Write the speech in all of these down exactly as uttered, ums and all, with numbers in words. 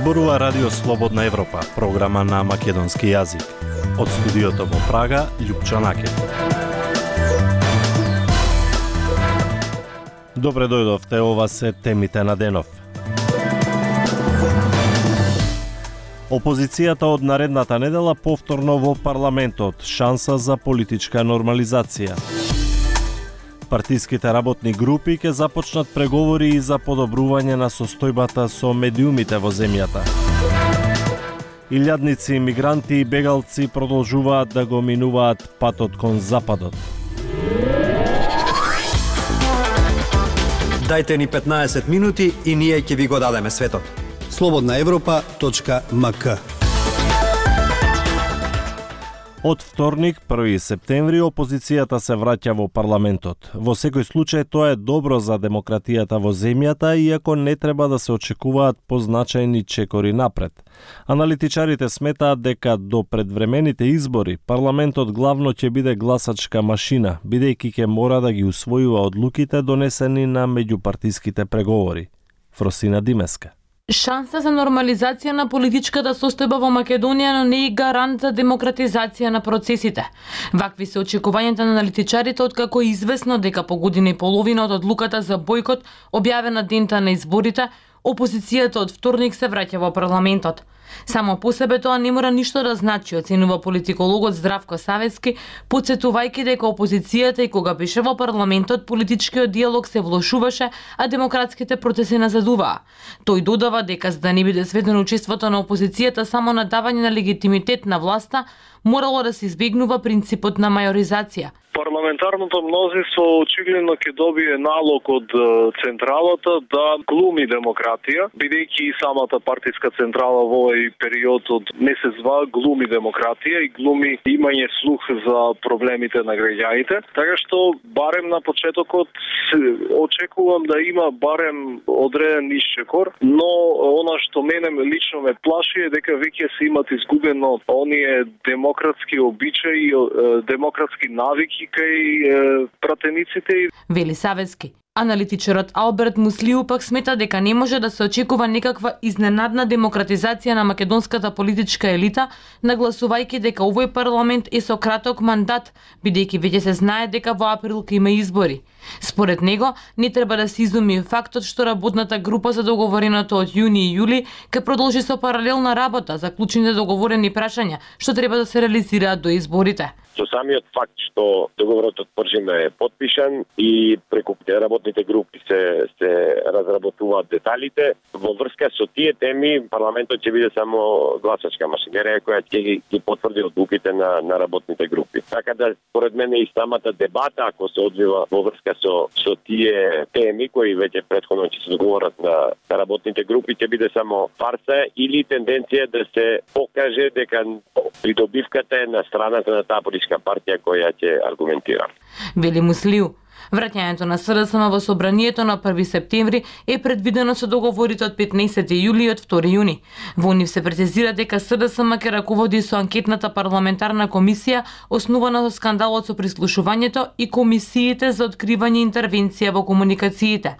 Зборува Радио Слободна Европа, програма на македонски јазик. Од студиото во Прага, Љупчо Накет. Добре дојдовте, ова се темите на денов. Опозицијата од наредната недела повторно во парламентот, шанса за политичка нормализација. Партиските работни групи ќе започнат преговори и за подобрување на состојбата со медиумите во земјата. Илјадници мигранти и бегалци продолжуваат да го минуваат патот кон западот. Дајте ни петнаесет минути и ние ќе ви го дадеме светот. слободна европа точка ем ка. Од вторник, први септември, опозицијата се враќа во парламентот. Во секој случај тоа е добро за демократијата во земјата, иако не треба да се очекуваат позначајни чекори напред. Аналитичарите сметаат дека до предвремените избори парламентот главно ќе биде гласачка машина, бидејќи ќе мора да ги усвојува одлуките донесени на меѓупартиските преговори. Фросина Димеска. Шанса за нормализација на политичката состојба во Македонија, но не и гарант за демократизација на процесите. Вакви се очекувањата на аналитичарите, откако е известно дека по година и половина од одлуката за бојкот, објавена дента на изборите, опозицијата од вторник се враќа во парламентот. Само по себе тоа не мора ништо да значи, оценува политикологот Здравко Савецки, потсетувајќи дека опозицијата и кога беше во парламентот, политичкиот диалог се влошуваше, а демократските процеси назадуваа. Тој додава дека за да не биде сведено учеството на опозицијата само на давање на легитимитет на власта, морало да се избегнува принципот на мајоризација. Парламентарното мнозинство очигледно ќе добие налог од централата да глуми демократија, бидејќи и самата партиска централа во овој период од месец-два глуми демократија и глуми имање слух за проблемите на граѓаните. Така што барем на почетокот очекувам да има барем одреден исчекор, но она што мене лично ме плаши е дека веќе се имат изгубено оние демократски обичаи, демократски навики кај пратениците. Вели Савецки. Аналитичарот Алберт Муслиу пак смета дека не може да се очекува некаква изненадна демократизација на македонската политичка елита, нагласувајќи дека овој парламент е со краток мандат, бидејќи веќе се знае дека во април ќе има избори. Според него, не треба да се изуми фактот што работната група за договореното од јуни и јули ќе продолжи со паралелна работа за клучните договорени прашања, што треба да се реализираат до изборите. Со самиот факт што договорот од Пржина е потпишан и преку работните групи се се разработуваат деталите, во врска со тие теми парламентот ќе биде само гласачка машинерија која ќе ги потврди одлуките на на работните групи. Така да според мене и самата дебата ако се одвива во врска со со тие теми кои веќе претходно ќе се договорат на, на работните групи ќе биде само фарса или тенденција да се покаже дека придобивката е на страната на таа политичка партија која ќе аргументира. Вели Муслиу. Враќањето на СДСМ во собранието на први септември е предвидено со договорите од петнаесети јули и од втори јуни. Во нив се прецизира дека СДСМ ќе раководи со анкетната парламентарна комисија основана со скандалот со прислушувањето и комисиите за откривање интервенција во комуникациите.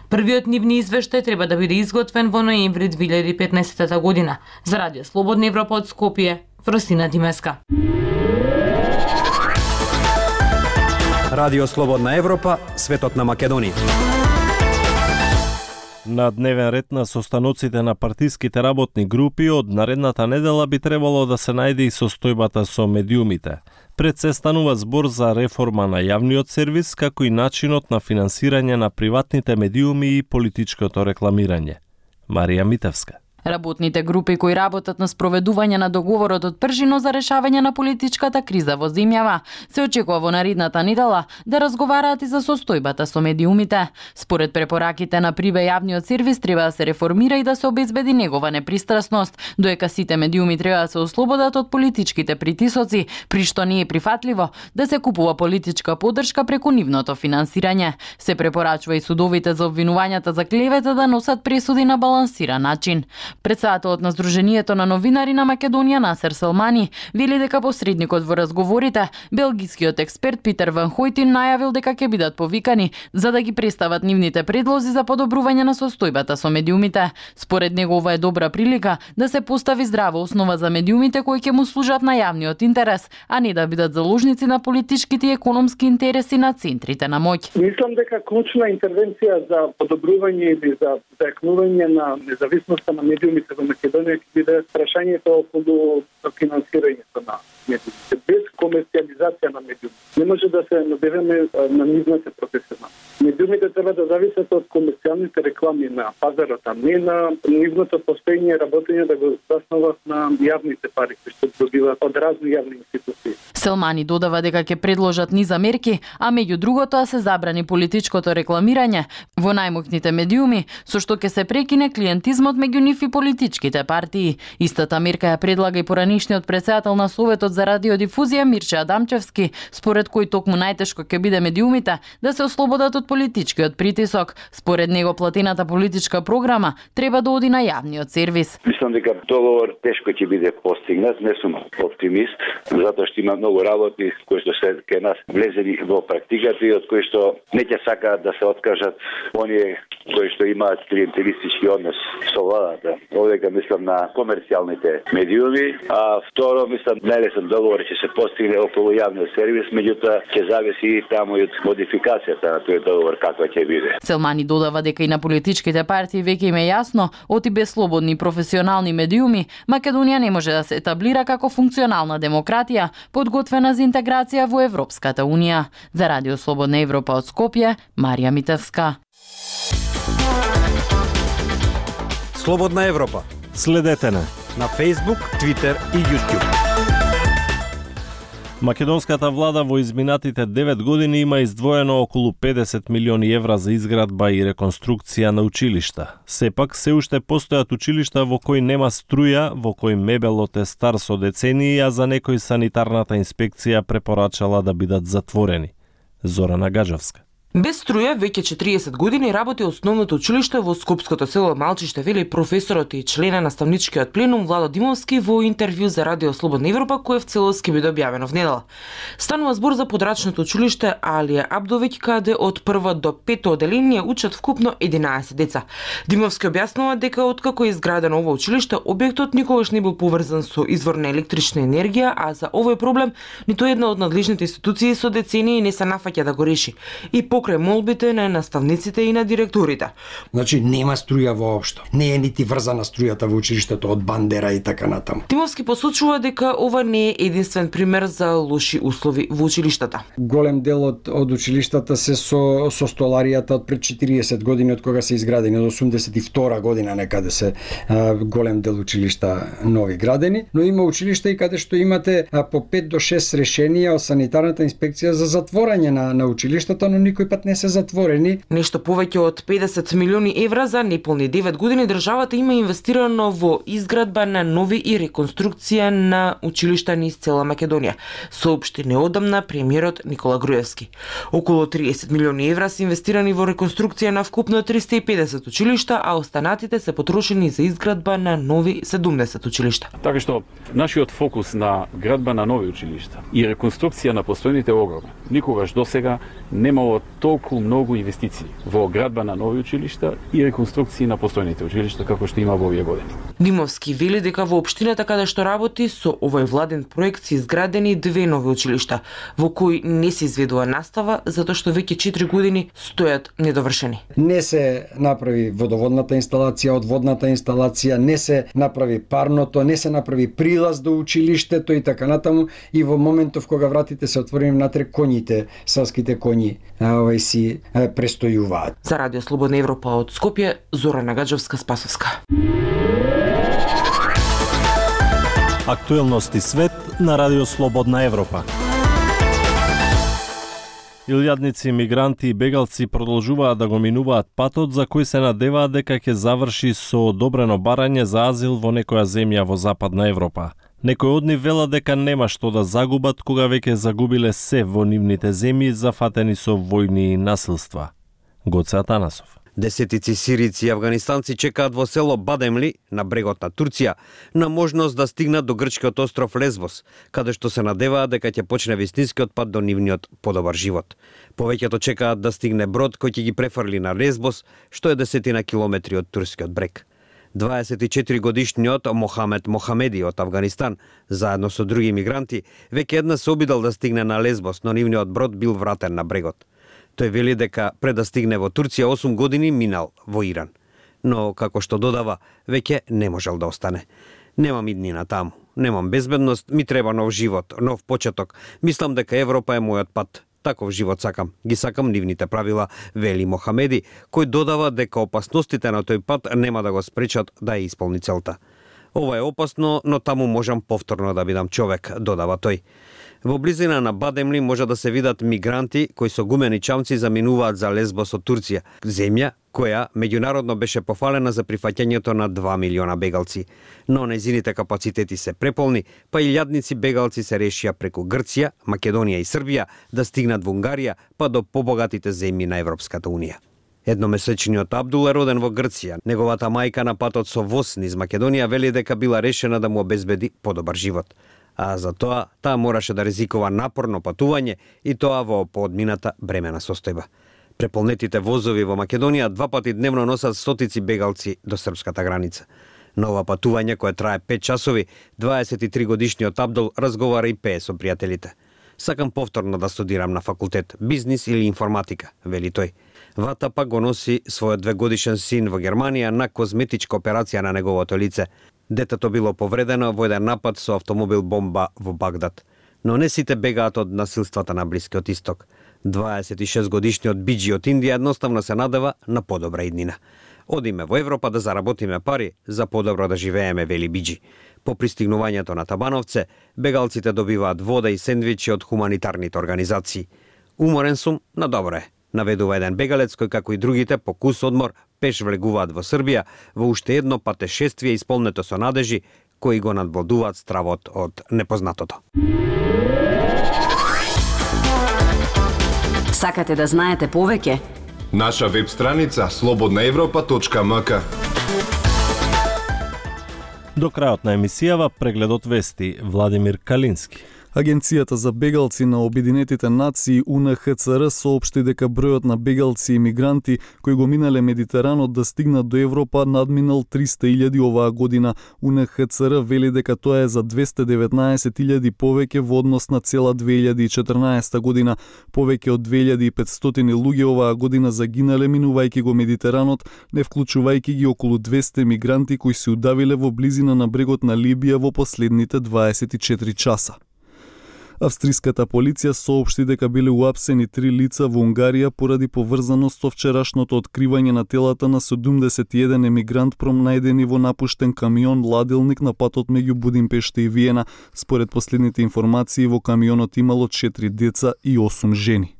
Првиот нивни извештај треба да биде изготвен во ноември две илјади и петнаесета година. За Радио Слободна Европа од Скопје, Фросина Димеска. Радио Слободна Европа, светот на Македонија. На дневен ред на состаноците на партиските работни групи од наредната недела би требало да се најде и состојбата со медиумите. Пред се станува збор за реформа на јавниот сервис, како и начинот на финансирање на приватните медиуми и политичкото рекламирање. Марија Митевска. Работните групи кои работат на спроведување на договорот од Пржино за решавање на политичката криза во земјава се очекува во наредната недела да разговараат и за состојбата со медиумите. Според препораките на Прибе јавниот сервис треба да се реформира и да се обезбеди негова непристрасност, доека сите медиуми треба да се ослободат од политичките притисоци, при што не е прифатливо да се купува политичка поддршка преку нивното финансирање. Се препорачува и судовите за обвинувањата за клевета да носат пресуди на балансиран начин. Председателот на Сдруженијето на новинари на Македонија Насер Селмани вели дека посредникот во разговорите, белгискиот експерт Питер Ван Хојтин, најавил дека ќе бидат повикани за да ги представат нивните предлози за подобрување на состојбата со медиумите. Според него ова е добра прилика да се постави здрава основа за медиумите кои ќе му служат на јавниот интерес, а не да бидат заложници на политичките и економски интереси на центрите на моќ. Мислам дека клучна интервенција за подобрување или за зајакнување на независноста на медиумите во Македонија ќе биде прашањето околу финансирањето на медиумите. Без комерцијализација на медиумите не може да се набираме на нивната професионалност. Медиумите треба да зависат од комерцијалните реклами на пазарот, а не на нивното постоење и работење да го заснова на јавните пари кои што добиваат од разни јавни институции. Селмани додава дека ќе предложат низ мерки, а меѓу другото да се забрани политичкото рекламирање во најмоќните медиуми, со што ќе се прекине клиентизмот меѓу нив и политичките партии. Истата мерка ја предлага и поранишниот председател на Советот за радиодифузија Мирче Адамчевски, според кој токму најтешко ќе биде медиумите да се ослободат од политичкиот притисок. Според него платената политичка програма треба да оди на јавниот сервис. Мислам дека договор тешко ќе биде постигнат, не сум оптимист, затоа што има многу работи кои што се кај нас влезени во практиката и од кои што не ќе сакаат да се откажат оние кои што имаат клиентелистички однос со владата. Овдека мислам на комерцијалните медиуми, а второ мислам најлесен договор ќе се постигне околу јавниот сервис, меѓутоа ќе зависи и таму и од модификацијата на тој договор каква ќе биде. Селмани додава дека и на политичките партии веќе им е јасно, оти без слободни професионални медиуми, Македонија не може да се етаблира како функционална демократија, подготвена за интеграција во Европската Унија. За Радио Слободна Европа од Скопје, Марија Митевска. Слободна Европа. Следете на на Facebook, Twitter и YouTube. Македонската влада во изминатите девет години има издвоено околу педесет милиони евра за изградба и реконструкција на училишта. Сепак, се уште постојат училишта во кои нема струја, во кои мебелот е стар со децении, а за некои санитарната инспекција препорачала да бидат затворени. Зорана Гаджовска. Без струја веќе четириесет години работи основното училиште во скопското село Малчиште, вели професорот и члена на наставничкиот пленум Владо Димовски во интервју за Радио Слободна Европа, кое в целост ќе биде објавено внедела. Станува збор за подрачното училиште Алија Абдовиќ, каде од прво до пето оделение учат вкупно единаесет деца. Димовски објаснува дека откако е изградено ова училиште, објектот никогаш не бил поврзан со извор на електрична енергија, а за овој проблем ниту една од надлежните институции со децении не се нафаќа да го реши. И покрај молбите на наставниците и на директорите. Значи нема струја воопшто. Не е нити врзана струјата во училиштето од бандера и така натаму. Тимовски посочува дека ова не е единствен пример за лоши услови во училиштата. Голем дел од, од училиштата се со, со столаријата од пред четириесет години од кога се изградени, од осумдесет и втора година некаде се а, голем дел училишта нови градени, но има училишта и каде што имате а, по пет до шест решенија од санитарната инспекција за затворање на, на училиштата, но никој пат не се затворени. Нешто повеќе од педесет милиони евра за неполни девет години државата има инвестирано во изградба на нови и реконструкција на училишта низ цела Македонија, соопшти неодамна премиерот Никола Груевски. Околу триесет милиони евра се инвестирани во реконструкција на вкупно триста и педесет училишта, а останатите се потрошени за изградба на нови седумдесет училишта. Така што нашиот фокус на градба на нови училишта и реконструкција на постојните е огромен. Никогаш досега немало толку многу инвестиции во градба на нови училишта и реконструкции на постојните училишта како што има во овие години. Димовски вели дека во општината каде што работи со овој владен проект се изградени две нови училишта, во кои не се изведува настава затоа што веќе четири години стојат недовршени. Не се направи водоводната инсталација, одводната инсталација, не се направи парното, не се направи прилаз до училиштето и така натаму, и во моментов кога вратите се отворени внатре, коњите, селските коњи, овај си престојуваат. За Радио Слободна Европа од Скопје, Зорана Гаджовска, Спасовска. Актуелности свет на Радио Слободна Европа. Илјадници мигранти и бегалци продолжуваат да го минуваат патот за кој се надеваат дека ќе заврши со одобрено барање за азил во некоја земја во Западна Европа. Некои од нив велат дека нема што да загубат кога веќе загубиле се во нивните земји зафатени со војни и насилства. Гоце Атанасов. Десетици сирици и афганистанци чекаат во село Бадемли, на брегот на Турција, на можност да стигнат до грчкиот остров Лесбос, каде што се надеваат дека ќе почне вистинскиот пат до нивниот подобар живот. Повеќето чекаат да стигне брод кој ќе ги префрли на Лесбос, што е десетина километри од турскиот брег. дваесет и четири годишниот Мохамед Мохамеди од Афганистан, заедно со други мигранти, веќе една се обидал да стигне на Лесбос, но нивниот брод бил вратен на брегот. Тој вели дека пред да стигне во Турција осум години минал во Иран. Но, како што додава, веќе не можел да остане. Немам иднина таму, немам безбедност, ми треба нов живот, нов почеток. Мислам дека Европа е мојот пат. Таков живот сакам. Ги сакам нивните правила, вели Мохамеди, кој додава дека опасностите на тој пат нема да го спречат да ја исполни целта. Ова е опасно, но таму можам повторно да бидам човек, додава тој. Во близина на Бадемли може да се видат мигранти кои со гумени чамци заминуваат за Лесбос од Турција, земја која меѓународно беше пофалена за прифаќањето на два милиона бегалци. Но незините капацитети се преполни, па илјадници бегалци се решија преку Грција, Македонија и Србија да стигнат во Унгарија, па до побогатите земји на Европската унија. Едномесечниот Абдул е роден во Грција. Неговата мајка на патот со воз низ Македонија вели дека била решена да му обезбеди подобар живот. А за тоа, таа мораше да ризикува напорно патување и тоа во поодмината бремена состојба. Преполнетите возови во Македонија два пати дневно носат стотици бегалци до српската граница. На ова патување, кое трае пет часови, дваесет и три годишниот Абдул разговара и пее со пријателите. Сакам повторно да студирам на факултет, бизнис или информатика, вели тој. Вата пак го носи својот двегодишен син во Германија на козметичка операција на неговото лице. Детето било повредено во еден напад со автомобил бомба во Багдад. Но не сите бегаат од насилствата на Блискиот исток. дваесет и шест годишниот Биджи од Индија едноставно се надева на подобра иднина. Одиме во Европа да заработиме пари за подобро да живееме, вели Биджи. По пристигнувањето на Табановце, бегалците добиваат вода и сендвичи од хуманитарните организации. Уморен сум, но добро е, наведува еден бегалец кој, како и другите, по кус одмор пеш влегуваат во Србија во уште едно патешествие исполнето со надежи кои го надвладуваат стравот од непознатото. Сакате да знаете повеќе? Наша веб страница слободна европа точка м к. До крајот на емисијава прегледот вести Владимир Калински. Агенцијата за бегалци на Обединетите нации У Н Х Ц Р соопшти дека бројот на бегалци и мигранти кои го минале Медитеранот да стигнат до Европа надминал триста илјади оваа година. У Н Х Ц Р вели дека тоа е за двесте деветнаесет илјади повеќе во однос на цела две илјади и четрнаесетта година. Повеќе од две илјади и петстотини луѓе оваа година загинале минувајќи го Медитеранот, не вклучувајќи ги околу двесте мигранти кои се удавиле во близина на брегот на Либија во последните дваесет и четири часа. Австриската полиција соопшти дека биле уапсени три лица во Унгарија поради поврзаност со вчерашното откривање на телата на седумдесет и еден емигрант промнајдени во напуштен камион ладилник на патот меѓу Будимпешта и Виена. Според последните информации, во камионот имало четири деца и осум жени.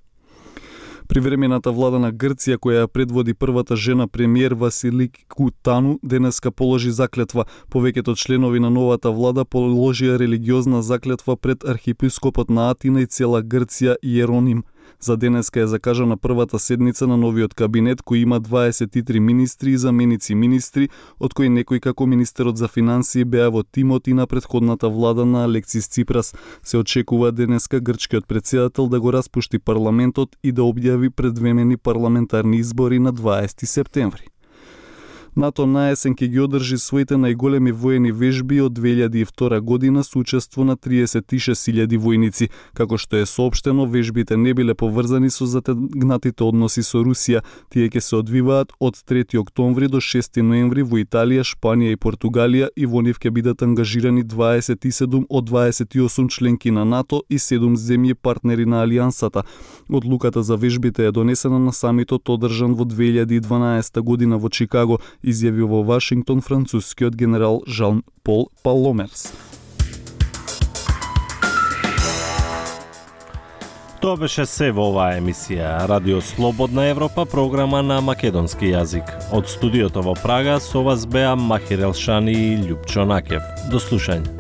Привремената влада на Грција, која ја предводи првата жена премиер Василику Тану, денеска положи заклетва. Повеќето членови на новата влада положија религиозна заклетва пред архиепископот на Атина и цела Грција Иероним. За денеска е закажана првата седница на новиот кабинет, кој има дваесет и три министри и заменици министри, од кои некои како министерот за финансии беа во тимот и на претходната влада на Алексис Ципрас. Се очекува денеска грчкиот претседател да го распушти парламентот и да објави предвремени парламентарни избори на дваесети септември. НАТО на есен ќе ги одржи своите најголеми воени вежби од две илјади и втора година со учество на триесет и шест илјади војници. Како што е соопштено, вежбите не биле поврзани со затегнатите односи со Русија. Тие ќе се одвиваат од трети октомври до шести ноември во Италија, Шпанија и Португалија и во нив ќе бидат ангажирани дваесет и седум од дваесет и осум членки на НАТО и седум земји партнери на Алијансата. Одлуката за вежбите е донесена на самитот одржан во две илјади и дванаесетта година во Чикаго, изјави во Вашингтон францускиот генерал Жан Пол Паломерс. Тоа беше се во оваа емисија. Радио Слободна Европа, програма на македонски јазик. Од студиото во Прага со вас беа Махир Елшани и Љупчо Накев. До слушање.